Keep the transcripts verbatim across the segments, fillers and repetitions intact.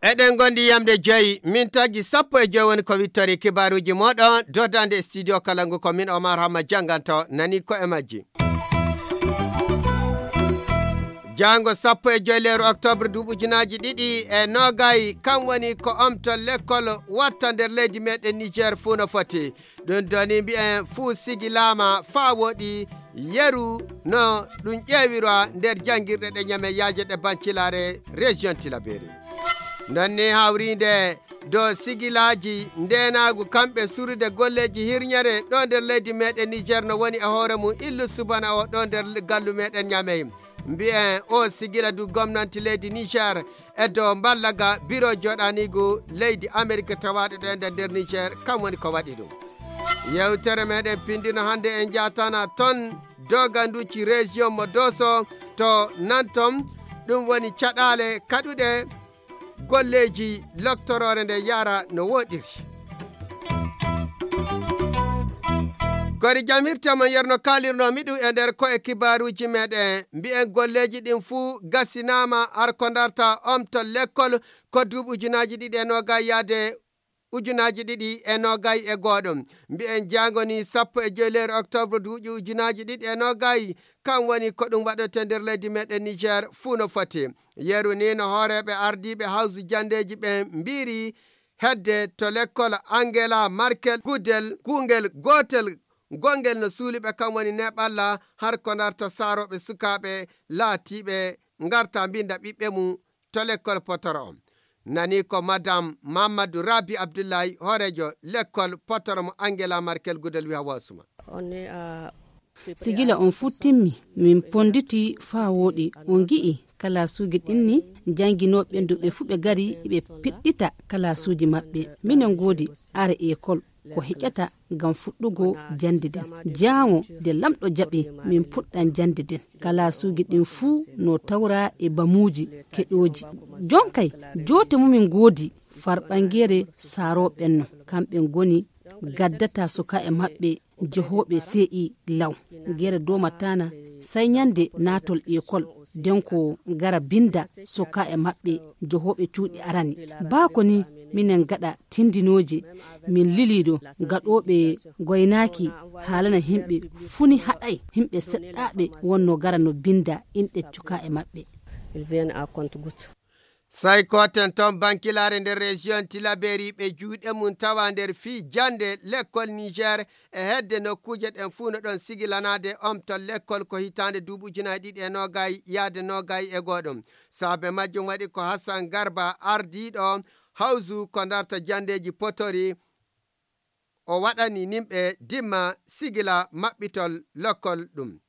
Eɗen gondi yamde joyi, min taggi sappo e joyi woni ko wittori kibaruji moɗon, dodande e studio Kalangu ko min Omar Hamma janganto nani ko e majji. Jango sappo e joyi leeru octobre duuɓi ujunaaji ɗiɗi e noogay, kam woni ko omtol lekkol watta nder leydi meɗen Niger fuu no foti. Ɗum doni mbi'en fuu sigilaama faa woɗi yeru no ɗum ƴeewira nder janngirɗe ɗe ñame yaaje ɗe Bankilaare région Tilaberi. Non ni hawriinde do sigilaaji ndeenaagu kamɓe surude golleeji hirñere ɗo nder leydi meɗen Niger no woni e hoore mum illu subana o ɗo nder gallu meɗen ñamey. Mbi'en o sigila du gomnanti leydi Niger e dow mballaga biro joɗanigu leydi Amerika tawaɗo ɗo e nder Niger kam woni ko waɗi ɗum. Yewtere meɗen pindino hannde en jatana ton doganduci région mo Doso to Nanton, ɗum woni caɗaale kaɗuɗe golleeji loktoroore nde yara no woɗiri. Kori jamirte mon yerno kalirno miɗu e nder ko e kibaruji meɗen mbi'en golleeji ɗin fuu gasinaama har ko darta omtol lekkol ko duuɓi ujunaaji ɗiɗi e noogay yaade ujunaaji ɗiɗi e noogay e gooɗo. Mbi'en jaangoni sappo e joyi leer octobre duuɓi ujunaaji ɗiɗi e noogay, kan woni ko ɗum waɗote nder leydi meɗen Niger fuu no foti. Yeru ni no hooreeɓe ardiiɓe hawsu jandeeji ɓen mbiiri hedde to lekkol Angela Merkel gudel kuungel gootel gongel no suuliɓe kan woni neɓalla har ko darta saarooɓe sukaaɓe laatiiɓe ngarta mbinda ɓiɓɓe mum to lekkol potoro on. Nani ko madame Mamadou Rabi Abdoulaye hooreejo lekkol potoro mo Angela Merkel gudel wiya wasuma. Si gila on fuu timmi, min ponnditi faa wooɗi. On ngi'i kalaasuuji ɗin ni, jannginooɓe ɓen du ɓe fuu ɓe ngari, ɓe piɗɗita kalaasuuji maɓɓe. Minen ngoodi are ekol ko heƴata ngam fuɗɗugo jannde nden. Jaaŋo nde Laamɗo jaɓi, min puɗɗan jannde nden. Kalaasuuji ɗin fuu no tawra e bamuuji keƴooji. Jonkay, joote mu min ngoodi farɓanngeere saarooɓe ɓen no. Kamɓe ngoni gaddata sukaaɓe maɓɓe jehooɓe C I law. Gere doomataana, sey ñande naatol ekol, nden ko ngara binnda sukaaɓe maɓɓe jehooɓe cuuɗi arani. Baa ko ni, minen ngaɗa tindinooje, min lilii ɗo gaɗooɓe goynaaki haalana yimɓe fuu ni haɗay, yimɓe seɗɗaaɓe wonno ngara no binnda inɗe sukaaɓe maɓɓe. Sai koten ton bankilaare nder région Tilaberi ɓe juuɗe mum tawa nder fii jannde lekkol Niger e hedde nokkuuje ɗen fuu no ɗon sigilanaade omtol lekkol ko hitaande duuɓi ujunaaji ɗiɗi e noogay yaade noogay e gooɗo. Saabe majjum waɗi ko Hassan Garba ardiiɗo hawsu ko darta janndeeji potori o waɗani nimɓe dimma sigila maɓɓitol lekkol ɗum.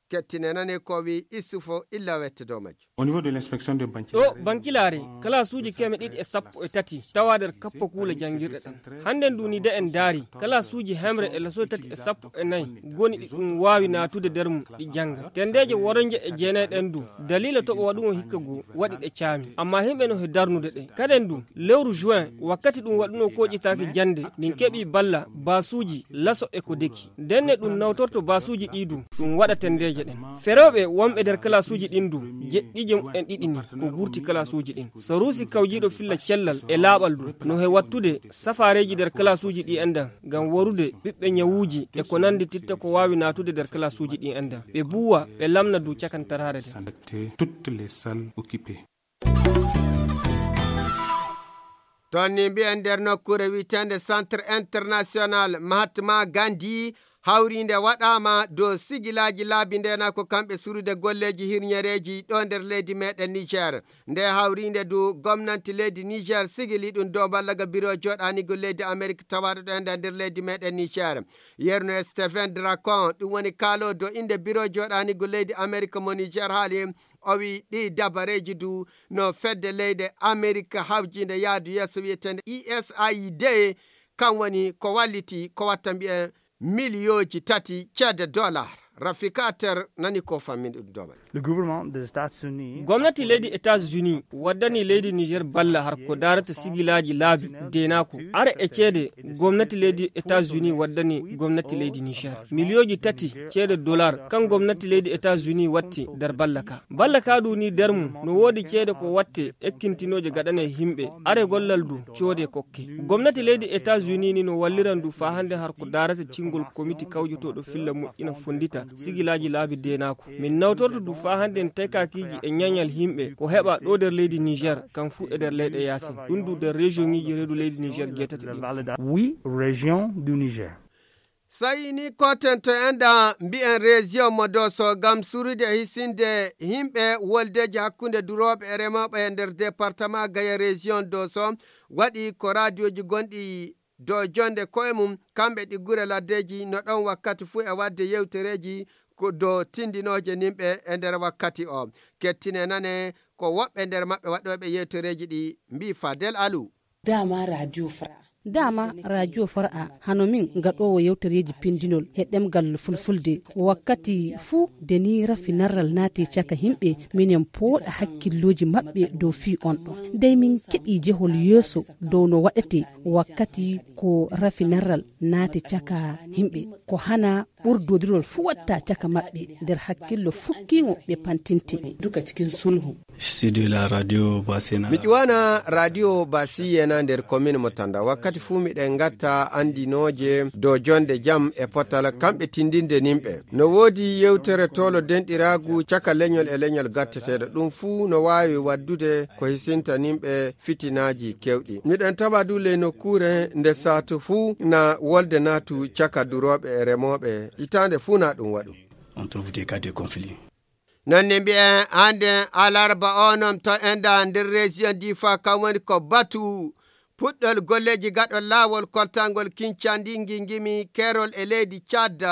Kettine nane ko wi Issoufou illa wette dow majjum. Au niveau de l'inspection de Banquier. Ɗo Bankilaare, kalaasuuji keme ɗiɗi e sappo e tati tawa nder kappo kuule janngirɗe ɗen. Hannde ndu ni de en ndaari, kalaasuuji hemre e laso tati e sappo e nayi goni ɗi ɗum waawi naatude nder mum ɗi jannga. Tenndeeje woronje e jeenay ɗen du, daliila toɓo waɗugo hikka goo waɗi ɗe caami. Ammaa yimɓe no he darnude ɗe. Kaden du, lewru juin, wakkati ɗum waɗunoo kooƴitaaki jannde, min keɓii balla, baasuuji, laso e ko deki. Ndenne ɗum nawtorto baasuuji ɗii du, ɗum waɗa tenndeeje ɗen. Ferooɓe wonɓe nder kalaasuuji ɗin du, jeɗɗiije mumen ɗiɗi ni, ko gurti kalaasuuji ɗin. Saruusi kawjiiɗo filla cellal e laaɓal du, no he wattude safaareeji nder kalaasuuji ɗii enɗan, ngam warude ɓiɓɓe ñawuuji e ko nanndi titta ko waawi naatude nder kalaasuuji ɗii enɗan. Ɓe buuwa, ɓe lamna du cakantaraare nden. Toutes les salles occupées. Ton ni mbi'en nder nokkuure wi'eteende Centre International Mahatma Gandhi, hawriinde waɗaama dow sigilaaji laabi ndeena ko kamɓe surude golleeji hirñereeji ɗo nder leydi meɗen Niger. Nde hawriinde du gomnanti leydi Niger sigili ɗum dow ballaga biro joɗanigo leydi Amerik tawaɗo ɗo enda nder leydi meɗen Niger. Yerno Stephen Dracon, ɗum woni kaalo dow innde biro joɗanigo leydi Amerik mo Niger haali, o wi ɗi dabareeji du no fedde leyɗe Amerik hawjiinde yaadu yeeso wi'eteende U S A I D, kan woni ko walliti ko watta mbi'en miliyooji tati ceede dollar. Rafika Ter nani ko fammin ɗum dow majjum. Gomnati leydi Etats-Unis waddani leydi Niger balla har ko darata sigilaaji laabi deenaaku. Are e ceede gomnati leydi Etats-Unis waddani gomnati leydi Niger miliyooji tati ceede dollar, kan gomnati leydi Etats-Unis watti nder balla ka. Balla ka du ni nder mum no woodi ceede ko watte ekkintinooje gaɗane himɓe. Are gollal du coode kokke. Gomnati leydi Etats-Unis ni no walliran du faa hannde har ko darata cingol komiti kawjotooɗo filla moƴƴina fonndita sigilaaji laabi deenaaku. Min nawtorto du faa hannde en tekakiiji e ñañal himɓe ko heɓa ɗo nder leydi Niger, kan fuu e nder leyɗe yaasin. Ɗum du nder région ŋiiji reedu leydi Niger jeetati ɗin. Oui, région du Niger. Sayi ni koten to enɗa mbi'en région mo Doso ngam surude e hisinde himɓe woldeji hakkunde durooɓe e remooɓe e nder département Gaya région Doso waɗi ko radioji gonɗi dow jonde koye mum, kamɓe ɗi gure laddeji no ɗon wakkati fuu e waɗde yewtereeji ko dow tindinooje nimɓe e nder wakkati o. Kettine nane ko woɓɓe nder maɓɓe waɗooɓe yewtereeji ɗi mbii Fadel Alu. Dama radio fara. Dama radio fara hano min gaɗoowo yewtereeji pindinol he ɗemgal fulfulde. Wakkati fuu de ni rafi narral naati caka himɓe, minen pooɗa hakkillooji maɓɓe dow fii on ɗon. Dey min keɓii jehol yeeso dow no waɗete wakkati ko rafi narral naati caka himɓe. Ko hana ɓurdodirol fuu watta caka maɓɓe nder hakkillo fukkiŋo ɓe pantinte. Duka cikin sulhu. Studio la radio Basena. Mi ƴuwana radio Basiyena nder commune mo Tanda. Wakkati fuu miɗen ngatta andinooje dow jonde jam e potal kamɓe tindinde nimɓe. No woodi yewtere tolo denɗiraagu caka leñol e leñol gatteteeɗo. Ɗum fuu no waawi waddude ko hisinta nimɓe fitinaaji kewɗi. Miɗen tawa du ley nokkuure nde saatu fuu na wolde naatu caka durooɓe e remooɓe. Hitaande fuu na ɗum waɗu. On trouve des cas de conflit. Non ne mbi'en hannde alarba onon to enda nder région Difa kam woni ko batu puɗɗol golleeji gaɗol laawol koltangol Kincandi Ngingimi Keerol e leydi Tchad.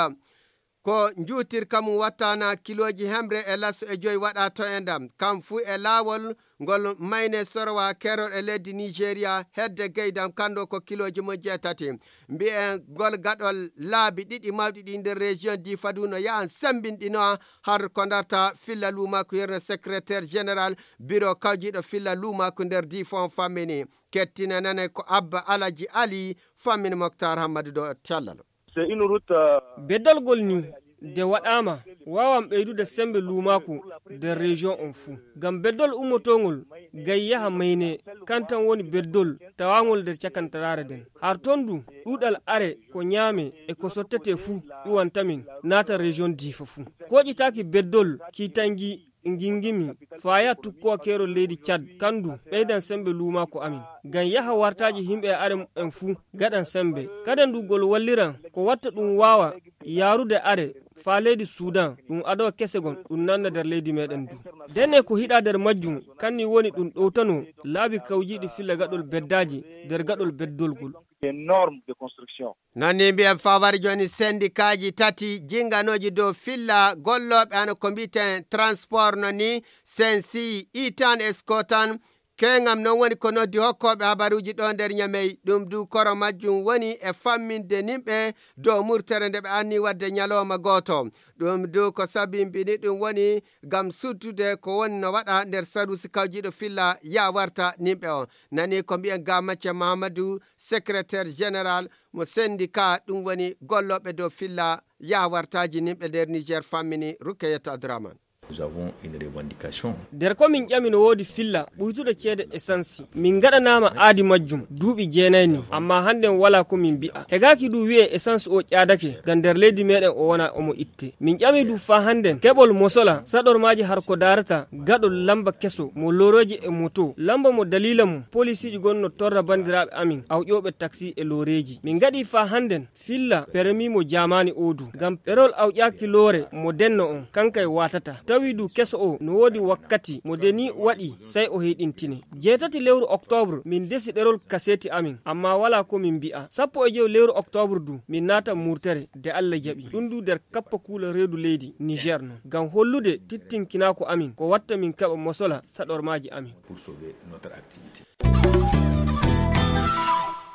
Ko njuutirka mum wattana kilooji hemre e laso e joyi waɗa to enda. Kam fuu e laawol ngol mayne sorowa Keerol e leydi Nigeria hedde geydam kanndo ko kilooji mum jeetati. Mbi'en gol gaɗol laabi ɗiɗi mawɗi ɗi nder région Difa du no yahan sembinɗinoa har ko darta filla luumaaku yerno secrétaire général bureau kawjiiɗo filla luumaaku nder Difa on fammini. Kettina nane ko Abba Alaji Ali fammini Moktar Hammadu ɗo cellal. C'est une route, euh, Beddolgol ni de waɗaama waawan ɓeydude semmbe luumaaku nder région on fuu. Ngam beddol ummotongol gay yaha mayne kan tan woni beddol tawangol nder cakantaraare nden. Har ton du ɗuuɗal are ko ñaame e ko sottete fuu ƴuwanta min naata région Difa fuu. Koƴitaaki beddol kiitangi Ngingimi, faya tukkowa keerol leydi Cad, kandu ɓeydan sembe luumaaku amin. Ngam yaha wartaaji himɓe e are en fuu gaɗan sembe. Kaden du gol walliran ko watta ɗum waawa yaarude are faa leydi Sudan, ɗum adowa kese gon ɗum nanna nder leydi meɗen du. Dene ko hiɗa nder majjum, kanni woni ɗum ɗowtano laabi kawjiiɗi filla gaɗol beddaaji nder gaɗol beddolgol. Des normes de construction. Non ni mbiyen fawar jooni sendikaaji tati jinganooji dow filla gollooɓe hano ko mbiten transport no ni sensi itan e skotan. Keŋam non woni ko noddi hokkooɓe habaruuji ɗo nder Ñamey. Ɗum du koro majjum woni e famminde nimɓe dow murtere nde ɓe anni waɗde ñalooma gooto. Ɗum du ko sabimbini ɗum woni ngam suddude ko woni no waɗa nder saruusi kawjiiɗo filla ya warta nimɓe on. Nani ko mbiyen ga Macce Mahamadou, secrétaire général mo syndicat, ɗum woni gollooɓe dow filla yaawartaaji nimɓe nder Niger fammini Rukayatu Abdourahmane. Nous avons une revendication. Nder ko min ƴami no woodi filla ɓuytuɗo ceede essence. Min ngaɗanaama aadi majjum duuɓi jeenay ni, amma hannden walaa ko min mbi'a. Hegaaki du wi'e essence o ƴaadake, ngam nder leydi meɗen o wona omo itte. Min ƴami du faa hannden keɓol mosola saɗormaaji har ko daarata gaɗol lamba keso mo lorooji e moto. Lamba mo daliila mum polisiiji gonno torra banndiraaɓe amin awƴooɓe taksi e looreeji. Min ngaɗi faa hannden filla permi mo jaamaani o du. Ngam ɗerol awƴaaki loore mo denno on, kankay waatata. Tawi du keso o no woodi wakkati mo deni waɗi, sey o heyɗintine. Jeetati lewru oktoobre, min ndesi ɗerol kaseeti amin, amma walaa ko min mbi'a. Sappo e jowi lewru oktoobre du, min naata murtere, de Alla jaɓi. Ɗum du nder kappa kuula reedu leydi Niger non. Ngam hollude tittinkinaaku amin, ko watta min keɓa mosola saɗormaaji amin. Pour sauver notre activité.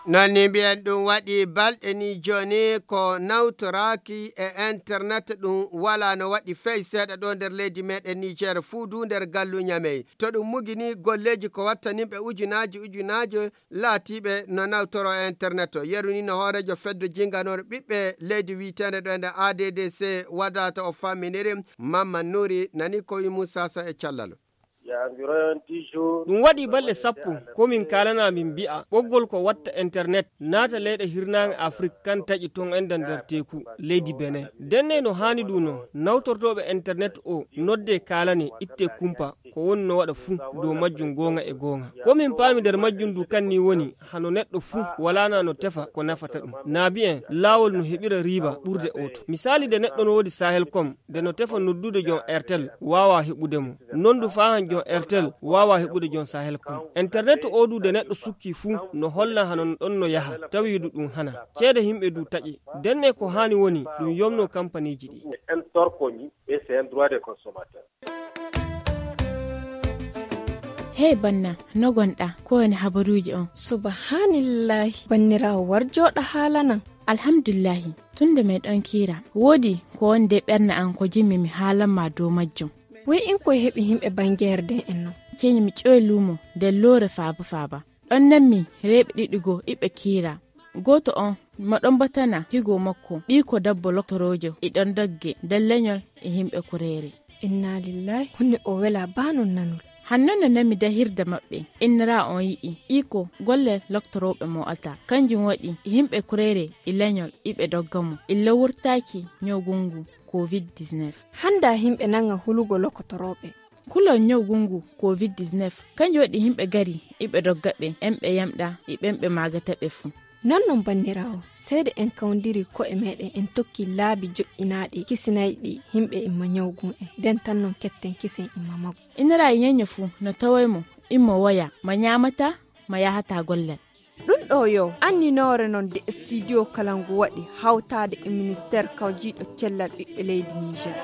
Noon ni mbiyen ɗum waɗi balɗe ni jooni ko nawtoraaki e internet ɗum walaa no waɗi fey seeɗa ɗo nder leydi meɗen Niger fuu du nder gallu Ñamey. To ɗum mugi ni golleeji ko wattanimɓe ujunaaji ujunaaji laatiiɓe no nawtoro e internet o. Yeru ni no hooreejo fedde jinganore ɓiɓɓe leydi wiyeteende ɗo e nder A D D C wadata o famminiri Mamman Nuri nani ko wi Moussa Sa e callalo. Ɗum waɗi balɗe sappo ko min kaalana min mbi'a ɓoggol ko watta internet naata leyɗe hirnaange Afrik kan taƴi toon enda nder teeku leydi Benin. Ndenne no haani ɗum noon nawtortooɓe internet o nodde kaalane itte kumpa ko woni no waɗa fuu dow majjum goonga e goonga. Ko min paami nder majjum du kan ni woni hano neɗɗo fuu walaana no tefa ko nafata ɗum. Naabi en laawol no heɓira riiba ɓurde oto. Misaali nde neɗɗo no woodi Sahel kom nde no tefa noddude joom Airtel waawaa heɓude mo. Noon du faahan joom Airtel waawaa heɓude joom Sahel kom. Internet o du nde neɗɗo sukki fuu no holla hano ɗon no yaha tawi du ɗum hana. Ceede himɓe du taƴe. Ndenne ko haani woni ɗum yomno kampaniiji ɗi. Hey banna, no gonɗa? Ko woni habaruuji on? Subhanillahi, banniraawo war jooɗa haalanan. Alhamdulillahi, tun nde meɗon kiira, woodi ko woni de ɓernde an ko jimmi mi haalan ma dow majjum. Woy in koye heɓi himɓe bangeere den en non. Ceñi mi ƴoy luumo nder loore faaba faaba. Ɗon nan mi reeɓe ɗiɗi goo iɓe kiira. Gooto on mo ɗon batana higo makko ɓii ko dabbo loktoroojo e ɗon dogge nder leñol e himɓe kureere. Inna lillahi, honne o wela baa non nanol. Hanno no nami dahirde maɓɓe innira on yi'i iko golle loktorooɓe mo alta kanjum waɗi yimɓe kureere e leñol iɓe dogga mo illa wurtaaki ñawgungu covid dix-neuf. Hannda yimɓe nanga hulugo lokotorooɓe. Kulol ñawgungu covid dix-neuf kanjum waɗi yimɓe gari iɓe dogga ɓe en ɓe yamɗa e ɓen ɓe maagata ɓe fuu. Non non banniraawo seede en kawndiri ko'e meɗen en tokki laabi joƴƴinaaɗi kisinayɗi yimɓe imma ñawgun en nden tan non ketten kisen imma magu. Inira e ñeño fuu no taway mo immo woya ma ñaamata ma yahata gollal. Ɗum ɗo yo anninoore non de studio kala ngu waɗi hawtaade e ministeer kawjiiɗo cellal ɓiɓɓe leydi Niger.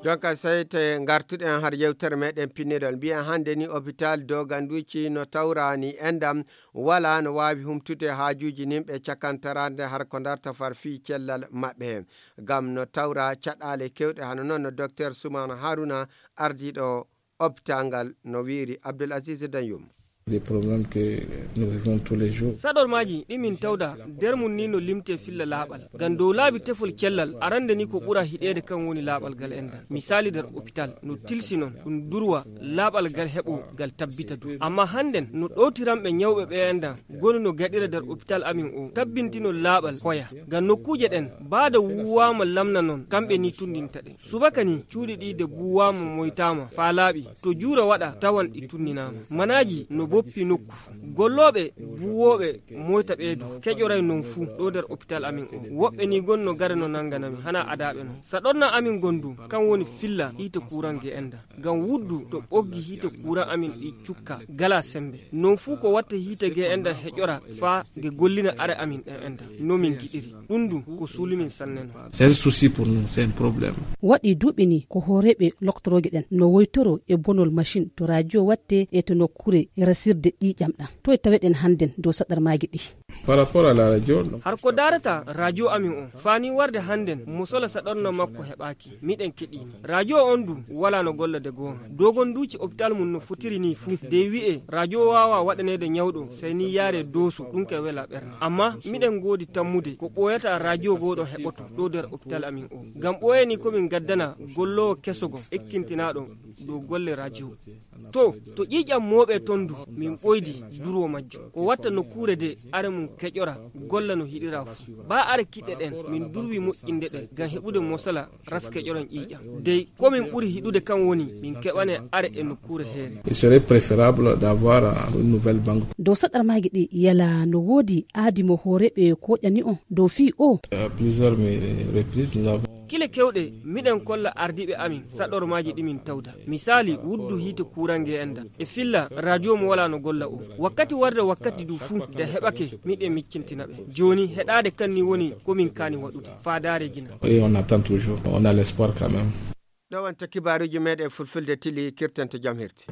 Jonka seyte ngartuɗen har yewtere meɗen pinnirol mbiyen hannde ni hôpital doganduci no tawrani endam wala no waawi humtude haajuuji nimɓe cakantarande har ko darta far fii cellal maɓɓe heen. Ngam no tawra caɗaale keewɗe hano noon no docteur Suman Haruna ardiiɗo hôpital ngal no wiiri Abdul Aziz Danyum. Des problèmes que nous vivons tous les jours. Saɗormaaji ɗi min tawda nder mum ni no limte filla laaɓal. Ngam dow laabi tefol cellal arande ni ko ɓura hiɗeede kan woni laaɓal ngal enɗan. Misaali nder hôpital no tilsi noon ɗum durwa laaɓal ngal heɓo ngal tabbita du. Amma hannden no ɗowtiranɓe ñawɓe ɓe enɗan goni no gaɗira nder hôpital amin o tabbintino laaɓal hoya. Ngam nokkuuje ɗen baada wuwaama lamna noon kamɓe ni tundinta ɗe. Subaka ni cuuɗi ɗi de buuwaama moytaama faa laaɓi to juura waɗa tawan ɗi tunninaama. Manaaji no boppi nokku. Gollooɓe buuwooɓe moyta ɓeedu keƴoray non fuu ɗo nder hôpital amin o. Woɓɓe ni gon no gare no nannganami hana adaaɓe non. Saɗorna amin gondu kan woni filla hiite kuuran ge enda. Ngam wuddu to ɓoggi hiite kuuran amin ɗi cukka gala sembe. Non fuu ko watta hiite ge enda heƴora faa ge gollina are amin ɗen enda no min giɗiri. Ɗum du ko suuli min sanne non. C'est un souci pour nous, c'est un problème. Waɗi duuɓi ni ko hooreeɓe loktorooje ɗen no woytoro e bonol machine to radio watte e to nokkure resirde ƴiiƴam ɗam. To e taweɗen hannden dow saɗarmaaji ɗi. Par rapport à la radio, non. Har ko daarata radio amin on faani warde hannden mo sola saɗorna makko heɓaaki. Miɗen keɗiima radio on du wala no golla de goonga. Dogon duuci hôpital mum no fotiri ni fuu de wi'e radio waawa waɗaneede ñawɗo sey ni yaare dooso ɗum ka wela ɓernde. Amma miɗen ngoodi tammude ko ɓooyata radio goo ɗon heɓoto ɗo nder hôpital amin o. Ngam ɓooyani ko min ngaddana golloowo keso gom ekkintinaaɗo dow golle radio. To to ƴiiƴam mooɓe ton du min ɓoydi durwo majjum ko watta nokkuure de are mum keƴora golla no hiɗira fuu. Ba are kiɗɗe ɗen min durwi moƴƴinde ɗe ngam heɓude mosala rafi keƴoron ƴiiƴam. Dey ko min ɓuri hiɗude kan woni min keɓane are e nokkuure heere. Il serait préférable d'avoir une nouvelle banque. Dow saɗarmaaji ɗi yala no woodi aadi mo hooreeɓe koƴani on dow fii o. Plusieurs reprises nous avons. Kile kewɗe miɗen kolla ardiiɓe amin saɗormaaji ɗi min tawda. Misaali wuddu hiite kuurange enda e filla radio mo wala no golla o. Wakkati warde wakkati du fuu de heɓake miɗen miccintina ɓe. Jooni heɗaade kan ni woni ko min kaani waɗude faadaare gina. Et on attend toujours, on a l'espoir quand même. Ɗo wonta kibaaruuji meɗen fulfulde tili kirtante jam hirti.